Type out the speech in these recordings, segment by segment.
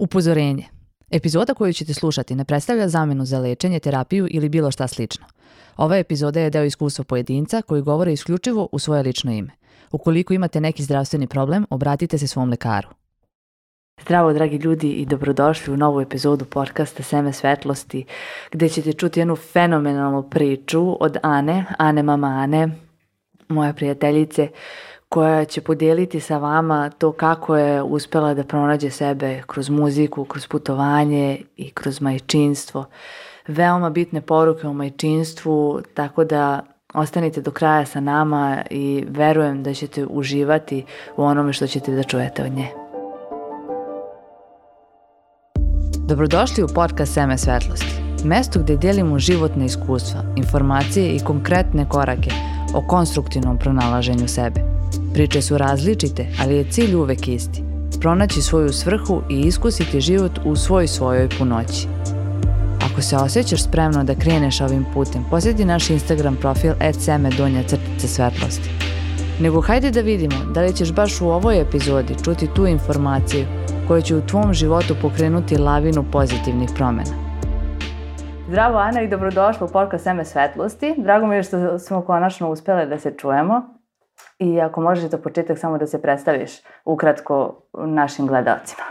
Upozorenje. Epizoda koju ćete slušati ne predstavlja zamenu za lečenje, terapiju ili bilo šta slično. Ova epizoda je deo iskustva pojedinca koji govore isključivo u svoje lično ime. Ukoliko imate neki zdravstveni problem, obratite se svom lekaru. Zdravo, dragi ljudi, i dobrodošli u novu epizodu podcasta Seme svetlosti, gdje ćete čuti jednu fenomenalnu priču od Ane, mama Ane, moja prijateljice, koja će podijeliti sa vama to kako je uspjela da pronađe sebe kroz muziku, kroz putovanje i kroz majčinstvo. Veoma bitne poruke o majčinstvu, tako da ostanite do kraja sa nama i verujem da ćete uživati u onome što ćete da čujete od nje. Dobrodošli u podcast Seme svetlosti, mesto gdje dijelimo životne iskustva, informacije i konkretne korake o konstruktivnom pronalaženju sebe. Priče su različite, ali je cilj uvek isti. Pronaći svoju svrhu i iskusiti život u svojoj punoći. Ako se osjećaš spremno da kreneš ovim putem, posjeti naš Instagram profil @seme_svetlosti. Nego hajde da vidimo da li ćeš baš u ovoj epizodi čuti tu informaciju koja će u tvom životu pokrenuti lavinu pozitivnih promjena. Zdravo Ana i dobrodošla u podcast Seme svetlosti. Drago mi je što smo konačno uspjeli da se čujemo. I ako možeš za početak samo da se predstaviš ukratko našim gledalcima.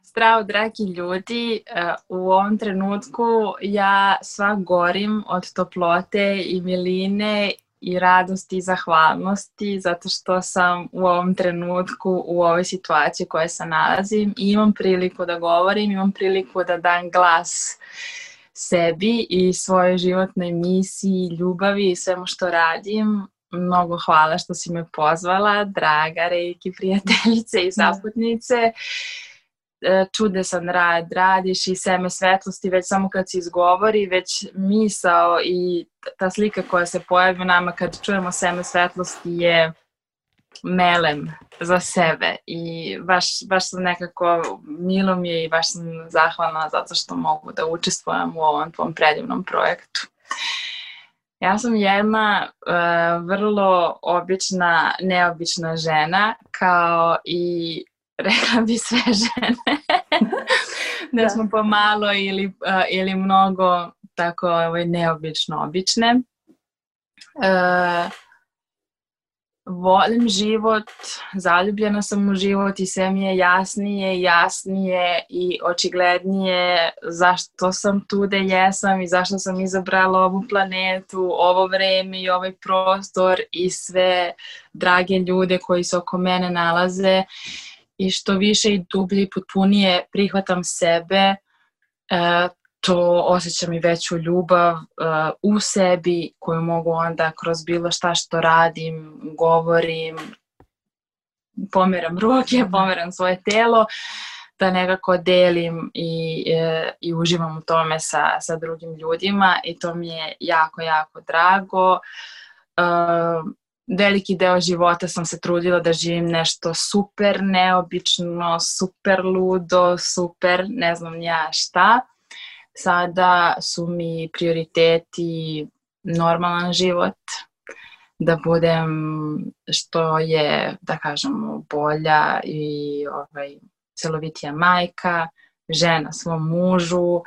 Zdravo, dragi ljudi. U ovom trenutku ja sva gorim od toplote i miline i radosti i zahvalnosti zato što sam u ovom trenutku u ovoj situaciji u kojoj se nalazim i imam priliku da govorim, imam priliku da dam glas sebi i svojoj životnoj misiji, ljubavi i svemu što radim. Mnogo hvala što si me pozvala, draga Reiki prijateljice i zaputnice. Čudesan rad radiš i Seme svetlosti već samo kad se izgovori, već misao i ta slika koja se pojavi u nama kad čujemo Seme svetlosti je melem za sebe i baš sam nekako, milo mi je i baš sam zahvalna zato što mogu da učestvujem u ovom tvom predivnom projektu. Ja sam jedna vrlo obična, neobična žena, kao i rekla bi sve žene, da smo pomalo ili mnogo tako neobično obične. Volim život, zaljubljena sam u život i sve mi je jasnije i očiglednije zašto sam tu gde jesam i zašto sam izabrala ovu planetu, ovo vreme i ovaj prostor i sve drage ljude koji se oko mene nalaze i što više i dublje i potpunije prihvatam sebe, to osjećam i veću ljubav u sebi koju mogu onda kroz bilo šta što radim, govorim, pomeram ruke, pomeram svoje telo, da nekako delim i uživam u tome sa drugim ljudima i to mi je jako, jako drago. Veliki deo života sam se trudila da živim nešto super neobično, super ludo, super ne znam ja šta. Sada su mi prioriteti normalan život, da budem što je, da kažemo, bolja i celovitija majka, žena svom mužu,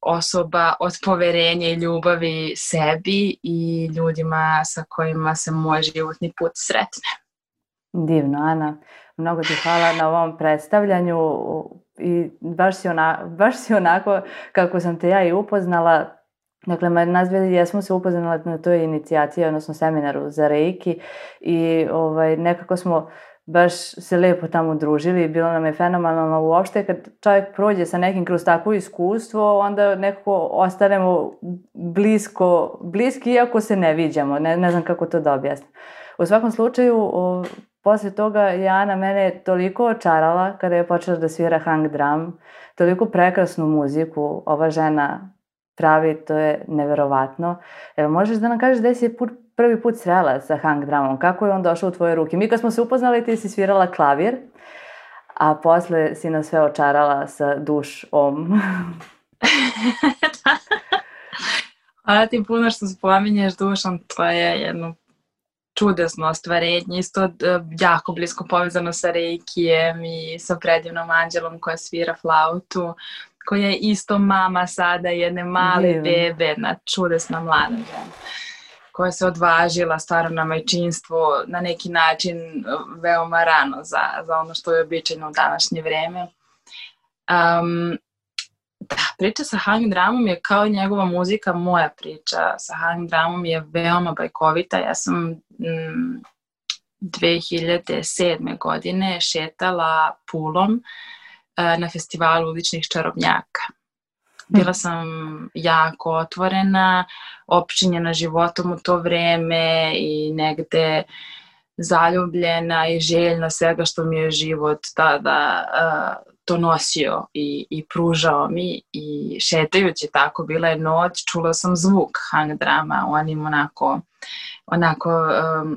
osoba od poverenja i ljubavi sebi i ljudima sa kojima se moj životni put sretne. Divno, Ana. Mnogo ti hvala na ovom predstavljanju i baš si onako kako sam te ja i upoznala. Dakle, nas dvije jesmo se upoznali na toj inicijaciji, odnosno seminaru za Reiki i nekako smo baš se lijepo tamo družili i bilo nam je fenomenalno. Uopšte kad čovjek prođe sa nekim kroz takvo iskustvo, onda nekako ostanemo bliski iako se ne viđamo. Ne znam kako to da objasnim. U svakom slučaju, poslije toga je Ana mene toliko očarala kada je počela da svira hang drum, toliko prekrasnu muziku ova žena pravi, to je neverovatno. Evo, možeš da nam kažeš gde si prvi put srela sa hang drumom, kako je on došao u tvoje ruke? Mi kad smo se upoznali ti si svirala klavir, a posle si nas sve očarala sa dušom. Hvala ti puno što spominješ dušom, to je jedno čudesno ostvarenje, isto jako blisko povezano sa Reikijem i sa predivnom Anđelom koja svira flautu, koja je isto mama sada jedne male bebe, jedna čudesna mlada žena koja se odvažila stvarno na majčinstvo na neki način veoma rano za ono što je običajno u današnje vreme. Da, priča sa Hang Dramom je kao i njegova muzika, moja priča sa Hang Dramom je veoma bajkovita. Ja sam 2007. godine šetala Pulom na festivalu uličnih čarobnjaka. Bila sam jako otvorena, opčinjena životom u to vreme i negde zaljubljena i željna svega što mi je život tada donosio i pružao mi. I šetajući tako, bila je noć, čula sam zvuk Hang Drama u onim onako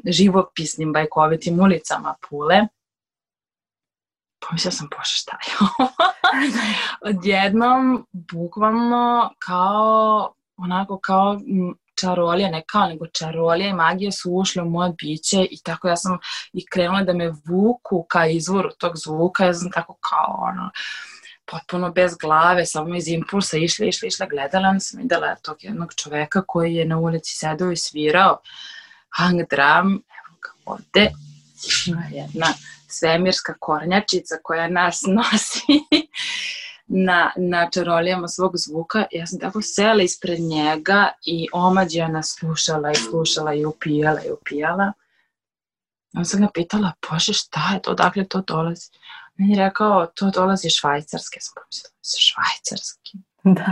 živopisnim bajkovitim ulicama Pule. Pomislila sam, bože, šta je ovo? Odjednom, bukvalno kao čarolija, ne kao, nego čarolija i magija su ušle u moje biće i tako ja sam i krenula da me vuku ka izvoru tog zvuka. Ja sam tako kao potpuno bez glave, samo iz impulsa išla, gledala sam, videla tog jednog čoveka koji je na ulici sedao i svirao Hang Dram. Evo ga ovde, jedna svemirska kornjačica koja nas nosi na čarolijama svog zvuka. Ja sam tako sela ispred njega i omađijana slušala i upijala. On sam ga pitala, bože, šta je to, dakle to dolazi? On je rekao, to dolazi iz Švajcarske. Sam pomislila, Švajcarski? Da.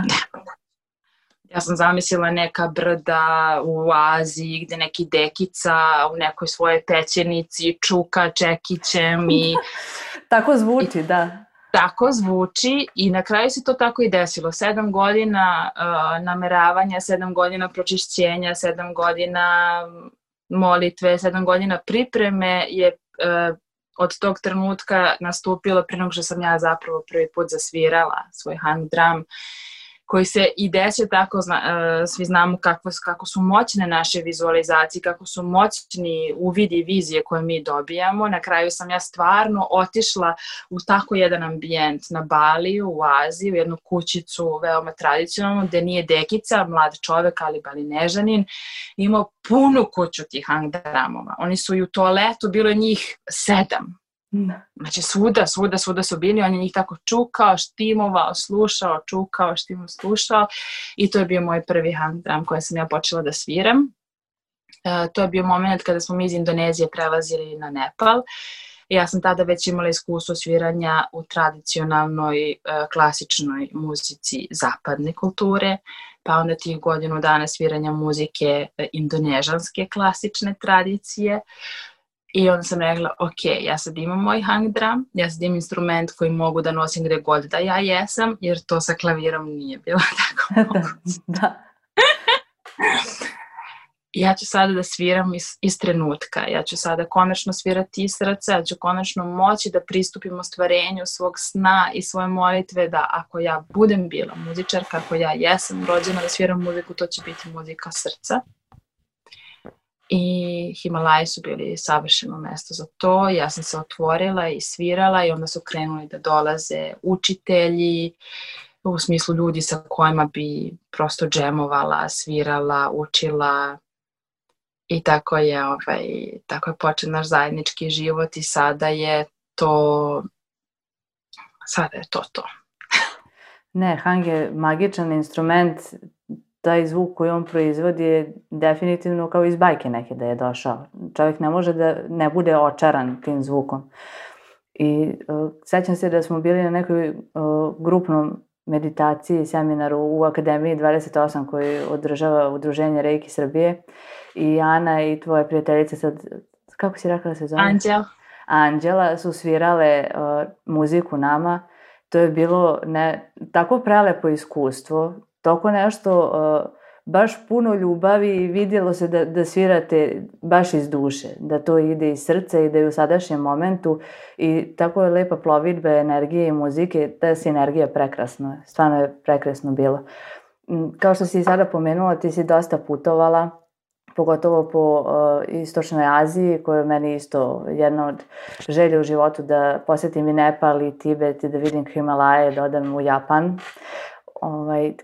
Ja sam zamislila neka brda u Aziji gde neki dekica u nekoj svojoj pećenici čuka čekićem i... Tako zvuči, da. Tako zvuči i na kraju se to tako i desilo. 7 godina nameravanja, 7 godina pročišćenja, 7 godina molitve, 7 godina pripreme je od tog trenutka nastupilo prije nego što sam ja zapravo prvi put zasvirala svoj Hang Dram, koji se i desio tako, svi znamo kako su moćne naše vizualizacije, kako su moćni uvidi i vizije koje mi dobijamo. Na kraju sam ja stvarno otišla u tako jedan ambijent na Baliju, u Aziji, u jednu kućicu veoma tradicionalnu, gde nije dekica, mlad čovek, ali balinežanin, imao punu kuću tih Hang Dramova. Oni su i u toaletu, bilo je njih 7. Znači svuda su bili, on je njih tako čukao, štimovao, slušao, čukao, štimovao, slušao i to je bio moj prvi Hang Dram koji sam ja počela da sviram. To je bio moment kada smo mi iz Indonezije prelazili na Nepal. Ja sam tada već imala iskustvo sviranja u tradicionalnoj klasičnoj muzici zapadne kulture, pa onda tih godinu dana sviranja muzike indonežanske klasične tradicije. I onda sam rekla, ok, ja sad imam moj Hang Dram, ja sad imam instrument koji mogu da nosim gde god da ja jesam, jer to sa klavirom nije bilo tako moguće. Da. Ja ću sada da sviram iz trenutka, ja ću sada konačno svirati iz srca, ja ću konačno moći da pristupim ostvarenju svog sna i svoje molitve, da ako ja budem bila muzičarka, ako ja jesam rođena da sviram muziku, to će biti muzika srca. I Himalaji su bili savršeno mesto za to. Ja sam se otvorila i svirala i onda su krenuli da dolaze učitelji, u smislu ljudi sa kojima bi prosto džemovala, svirala, učila. I tako je počeo naš zajednički život i sada je to to. Ne, Hang je magičan instrument. Taj zvuk koji on proizvodi je definitivno kao iz bajke neke da je došao. Čovjek ne može da ne bude očaran tim zvukom. I sećam se da smo bili na nekoj grupnom meditaciji, seminaru u Akademiji 28 koji održava Udruženje Reiki Srbije. I Ana i tvoja prijateljica sad, kako si rekla da se zove? Anđela su svirale muziku nama. To je bilo tako prelepo iskustvo, toliko nešto, baš puno ljubavi i vidjelo se da svirate baš iz duše, da to ide iz srca i da je u sadašnjem momentu i tako je lepa plovidba energije i muzike, ta sinergija prekrasno, stvarno je prekrasno bilo. Kao što si i sada pomenula, ti si dosta putovala, pogotovo po Istočnoj Aziji, koja je meni isto jedna od želja u životu da posjetim i Nepal i Tibet i da vidim Himalaje, da odem u Japan.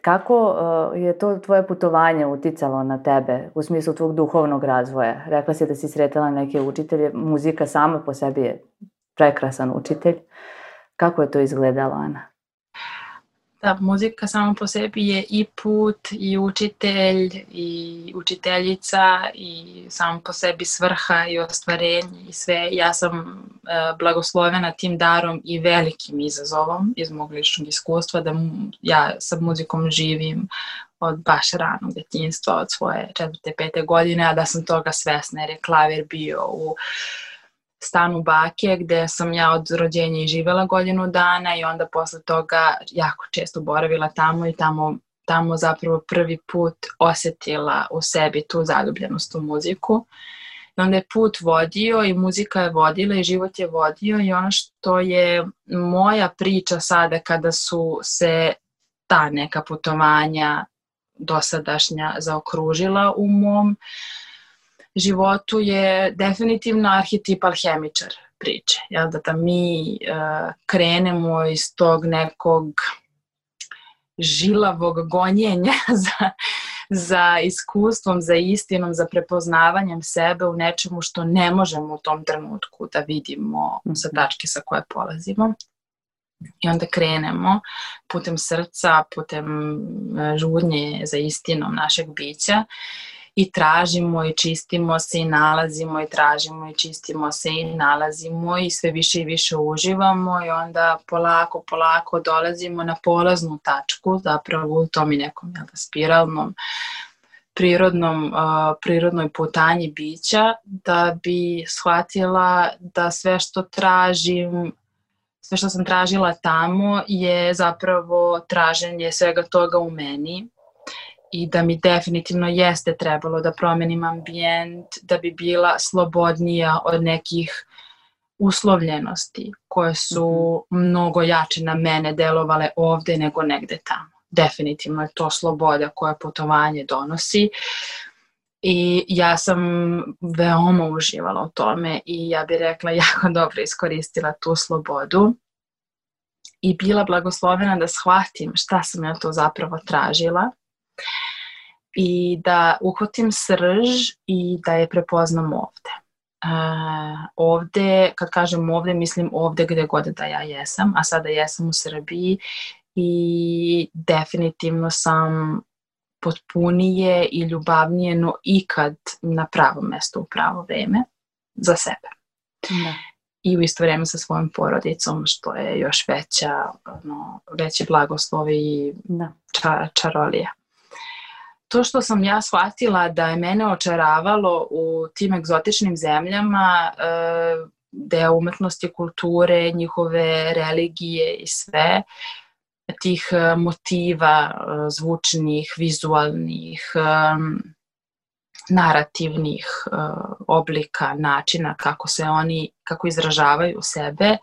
Kako je to tvoje putovanje uticalo na tebe u smislu tvog duhovnog razvoja? Rekla si da si sretala neke učitelje, muzika sama po sebi je prekrasan učitelj. Kako je to izgledalo, Ana? Da, muzika sama po sebi je i put, i učitelj, i učiteljica, i samo po sebi svrha i ostvarenje i sve. Ja sam blagoslovena tim darom i velikim izazovom iz mog ličnog iskustva da ja sa muzikom živim od baš ranog djetinjstva, od svoje 4. 5. godine, a da sam toga svesna jer je klavir bio u stanu bake gde sam ja od rođenja i živela godinu dana i onda posle toga jako često boravila tamo i tamo zapravo prvi put osjetila u sebi tu zaljubljenost u muziku. I onda je put vodio i muzika je vodila i život je vodio i ono što je moja priča sada kada su se ta neka putovanja dosadašnja zaokružila u mom životu je definitivno arhetip alhemičar priče. Da mi krenemo iz tog nekog žilavog gonjenja za iskustvom, za istinom, za prepoznavanjem sebe u nečemu što ne možemo u tom trenutku da vidimo sa tačke sa koje polazimo. I onda krenemo putem srca, putem žudnje za istinom našeg bića i tražimo i čistimo se i nalazimo i tražimo i čistimo se i nalazimo i sve više i više uživamo i onda polako dolazimo na polaznu tačku, zapravo u tom i nekom spiralnom prirodnoj putanji bića da bi shvatila da sve što sam tražila tamo je zapravo traženje svega toga u meni i da mi definitivno jeste trebalo da promenim ambijent, da bi bila slobodnija od nekih uslovljenosti koje su mnogo jače na mene delovale ovde nego negde tamo. Definitivno je to sloboda koja putovanje donosi i ja sam veoma uživala u tome i ja bih rekla jako dobro iskoristila tu slobodu i bila blagoslovena da shvatim šta sam ja to zapravo tražila i da uhvatim srž i da je prepoznam ovde. Ovde, kad kažem ovde, mislim ovde gde god da ja jesam, a sada jesam u Srbiji i definitivno sam potpunije i ljubavnije no ikad na pravo mesto u pravo vreme za sebe. Da. I u isto vreme sa svojom porodicom, što je još veći blagoslov i čarolija. To što sam ja shvatila da je mene očaravalo u tim egzotičnim zemljama, deo umetnosti, kulture, njihove religije i sve, tih motiva zvučnih, vizualnih, narativnih oblika, načina kako izražavaju sebe,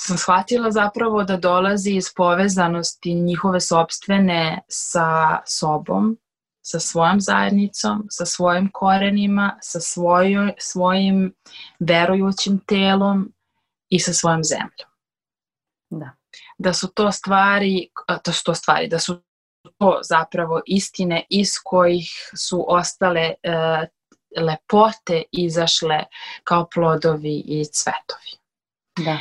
sam shvatila zapravo da dolazi iz povezanosti njihove sopstvene sa sobom, sa svojom zajednicom, sa svojim korenima, sa svojim verujućim telom i sa svojom zemljom. Da su to zapravo istine iz kojih su ostale lepote izašle kao plodovi i cvetovi. Da.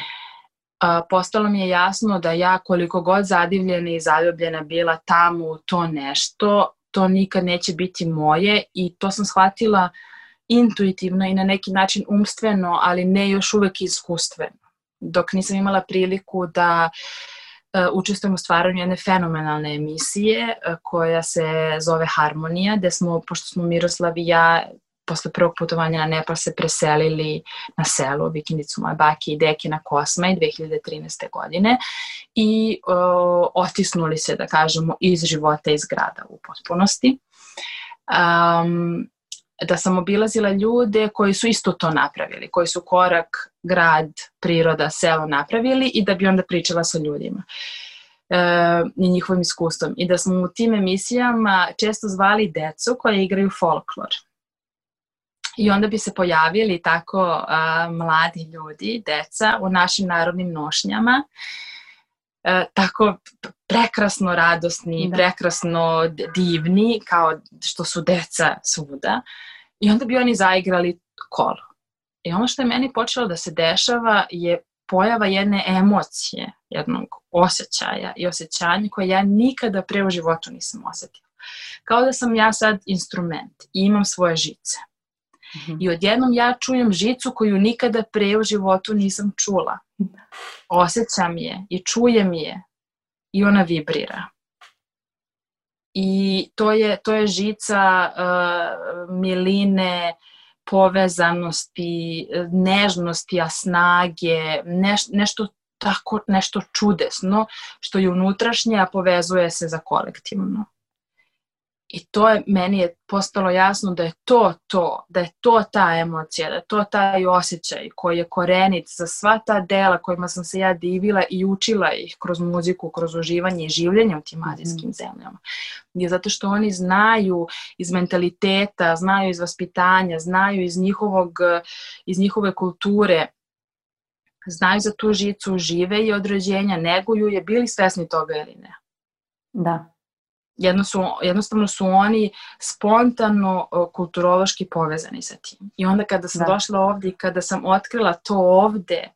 Postalo mi je jasno da ja koliko god zadivljena i zaljubljena bila tamo u to nešto, to nikad neće biti moje i to sam shvatila intuitivno i na neki način umstveno, ali ne još uvek iskustveno. Dok nisam imala priliku da učestvujem u stvaranju jedne fenomenalne emisije koja se zove Harmonija, gde smo, pošto smo Miroslav i ja posle prvog putovanja na Nepal se preselili na selo, vikendicu moje bake i deke na Kosmaj 2013. godine i otisnuli se, da kažemo, iz života iz grada u potpunosti. Da sam obilazila ljude koji su isto to napravili, koji su korak, grad, priroda, selo napravili i da bi onda pričala sa ljudima. i njihovim iskustvom. I da smo u tim emisijama često zvali decu koje igraju folklor. I onda bi se pojavili tako mladi ljudi, deca, u našim narodnim nošnjama, tako prekrasno radosni, prekrasno divni, kao što su deca svuda. I onda bi oni zaigrali kolo. I ono što je meni počelo da se dešava je pojava jedne emocije, jednog osjećaja i osjećanja koje ja nikada pre u životu nisam osjetila. Kao da sam ja sad instrument i imam svoje žice. I odjednom ja čujem žicu koju nikada pre u životu nisam čula. Osjećam je i čujem je i ona vibrira. I to je žica miline, povezanosti, nežnosti, snage, nešto čudesno što je unutrašnje, a povezuje se za kolektivno. I meni je postalo jasno da je da je to ta emocija, da je to taj osjećaj koji je korenit za sva ta dela kojima sam se ja divila i učila ih kroz muziku, kroz uživanje i življenje u tim azijskim zemljama. Je zato što oni znaju iz mentaliteta, znaju iz vaspitanja, znaju iz njihove kulture, znaju za tu žicu, žive i od rođenja, neguju je, bili svesni toga ili ne. Da. Jednostavno su oni spontano kulturološki povezani sa tim. I onda kada sam došla ovdje i kada sam otkrila to ovdje,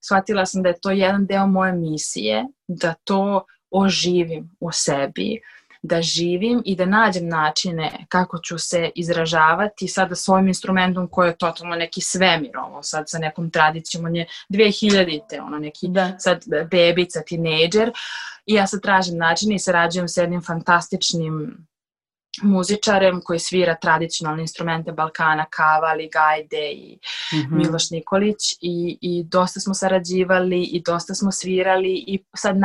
shvatila sam da je to jedan deo moje misije, da to oživim u sebi, da živim i da nađem načine kako ću se izražavati sada s ovim instrumentom koji je totalno neki svemir, ovo sad sa nekom tradicijom, on je 2000-te, neki sad bebica, tinejdžer, i ja sad tražim načine i sarađujem s jednim fantastičnim muzičarem koji svira tradicionalne instrumente Balkana, kavali, gajde i Miloš Nikolić, i dosta smo sarađivali i dosta smo svirali i sad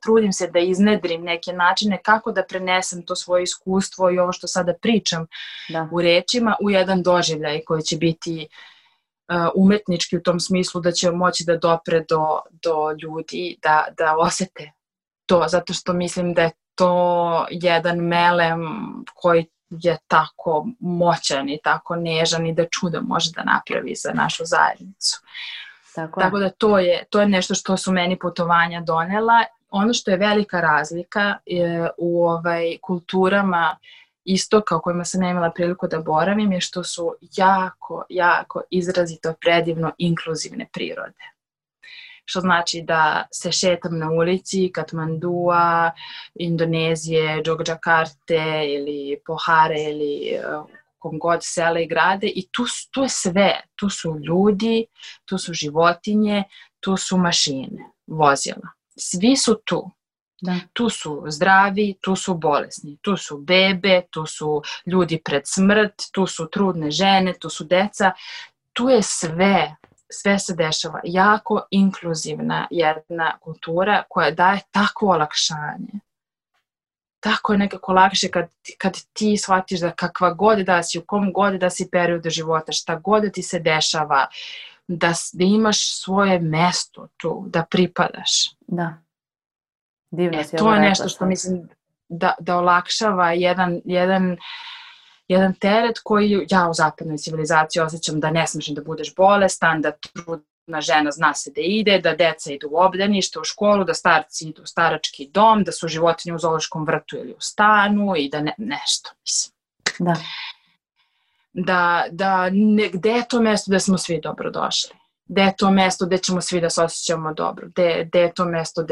trudim se da iznedrim neke načine kako da prenesem to svoje iskustvo i ovo što sada pričam u rečima u jedan doživljaj koji će biti umetnički u tom smislu da će moći da dopre do ljudi, da osete to, zato što mislim da je to jedan melem koji je tako moćan i tako nežan i da čudo može da napravi za našu zajednicu. Tako da to je nešto što su meni putovanja donela. Ono što je velika razlika u kulturama istoka u kojima sam imala priliku da boravim je što su jako, jako izrazito predivno inkluzivne prirode. Što znači da se šetam na ulici Katmandua, Indonezije, Džogđakarte ili Pohare ili kom god sela i grade, i tu je sve. Tu su ljudi, tu su životinje, tu su mašine, vozila. Svi su tu. Da. Tu su zdravi, tu su bolesni, tu su bebe, tu su ljudi pred smrt, tu su trudne žene, tu su deca. Tu je sve. Sve se dešava. Jako inkluzivna jedna kultura koja daje takvo olakšanje. Tako je nekako lakše kad ti shvatiš da kakva god da si, u kom god da si periodu života, šta god da ti se dešava, da imaš svoje mesto tu, da pripadaš. Da. Divno si to je nešto što mislim da olakšava jedan teret koji ja u zapadnoj civilizaciji osjećam da ne smiješ da budeš bolestan, da trudna žena zna se da ide, da deca idu u obdanište, u školu, da starci idu u starački dom, da su životinje u zoološkom vrtu ili u stanu i da nešto, mislim. Da gde je to mesto gde smo svi dobro došli? Gde je to mesto gde ćemo svi da se osjećamo dobro? Gde je to mesto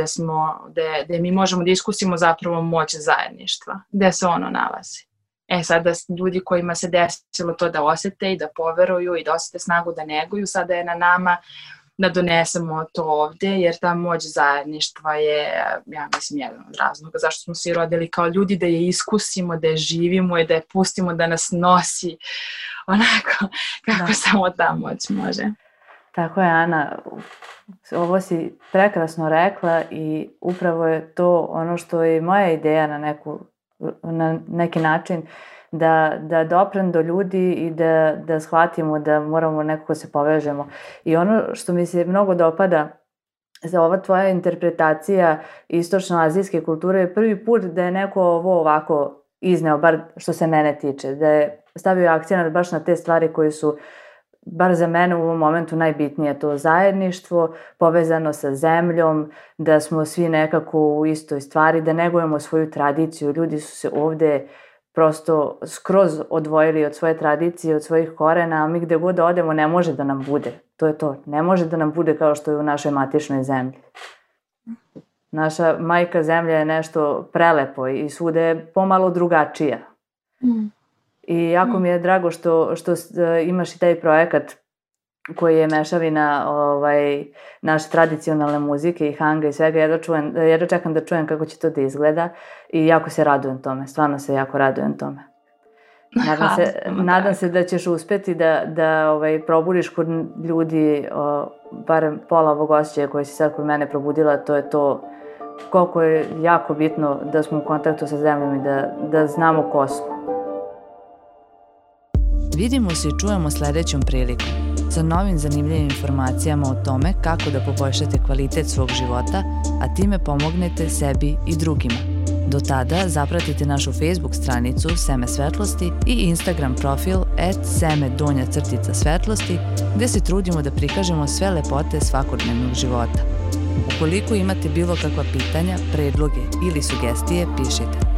gde mi možemo da iskusimo zapravo moć zajedništva? Gde se ono nalazi? Sada ljudi kojima se desilo to da osjete i da poveruju i da osjete snagu da neguju, sada je na nama da donesemo to ovdje, jer ta moć zajedništva je, ja mislim, jedan od razloga zašto smo svi rodili kao ljudi, da je iskusimo, da je živimo i da je pustimo da nas nosi onako kako samo ta moć može. Tako je, Ana. Ovo si prekrasno rekla i upravo je to ono što je moja ideja na neki način, da doprem do ljudi i da shvatimo da moramo nekako se povežemo. I ono što mi se mnogo dopada za ova tvoja interpretacija istočno-azijske kulture je prvi put da je neko ovo ovako izneo, bar što se mene tiče, da je stavio akcenat baš na te stvari koje su bar za mene u ovom momentu najbitnije, to zajedništvo povezano sa zemljom, da smo svi nekako u istoj stvari, da negujemo svoju tradiciju. Ljudi su se ovde prosto skroz odvojili od svoje tradicije, od svojih korena, a mi gde god odemo ne može da nam bude. To je to. Ne može da nam bude kao što je u našoj matičnoj zemlji. Naša majka zemlja je nešto prelepo i svuda je pomalo drugačija. I jako mi je drago što imaš i taj projekat koji je mešavina naše tradicionalne muzike i hanga i svega. Jedva čekam da čujem kako će to da izgleda i jako se radujem tome. Stvarno se jako radujem tome. Nadam se da ćeš uspeti da probudiš kod ljudi barem pola ovog osjećaja koje si sad kod mene probudila. To je to koliko je jako bitno da smo u kontaktu sa zemljom i da znamo ko smo. Vidimo se i čujemo sledećom prilikom sa novim zanimljivim informacijama o tome kako da poboljšate kvalitet svog života, a time pomognete sebi i drugima. Do tada zapratite našu Facebook stranicu Seme svetlosti i Instagram profil @seme_svetlosti gde se trudimo da prikažemo sve lepote svakodnevnog života. Ukoliko imate bilo kakva pitanja, predloge ili sugestije, pišite.